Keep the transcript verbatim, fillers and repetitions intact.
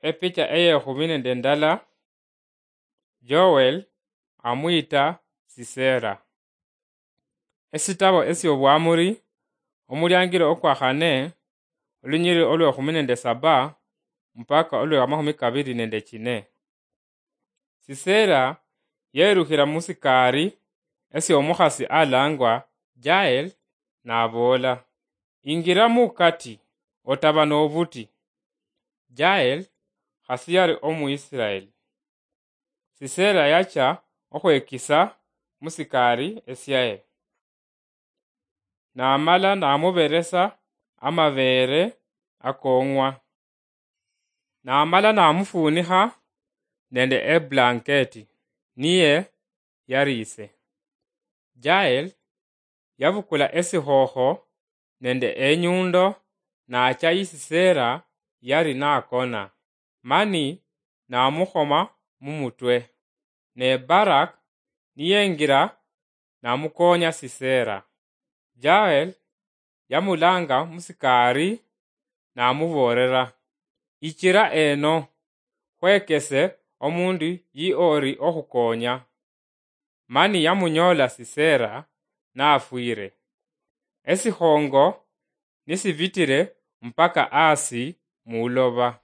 Epicha eyekhumi nende ndala, Joel amwita Sisera. Esitabo esyobwamuri, omuliangiro okwakhane, olunyiriri olwekhumi nende saba mpaka olwamakhumi kabiri nende chine. Sisera yerukhira musikari esyomukhasi alangwa Jael, naboola, "Ingira mukati, otaba nobuti." Jael khasi yali Omuisraeli. Sisera yacha okhwekisa musikari esyaye, namala namuberesa amabeere akong'wa, namala namufunikha nende eblanketi, niye yariise. Jael yabukula esikhokho nende enyundo, nacha yi Sisera yali nakona, mani namukhoma mumutwe. Ne Barak niyengira namukonya Sisera. Jael yamulanga musikari, namuboolera, "Ichira eno, khwekese omundu yi ori okhukonya." Mani yamunyoola Sisera nafwire, esikhongo nisibitire mpaka asi muloba.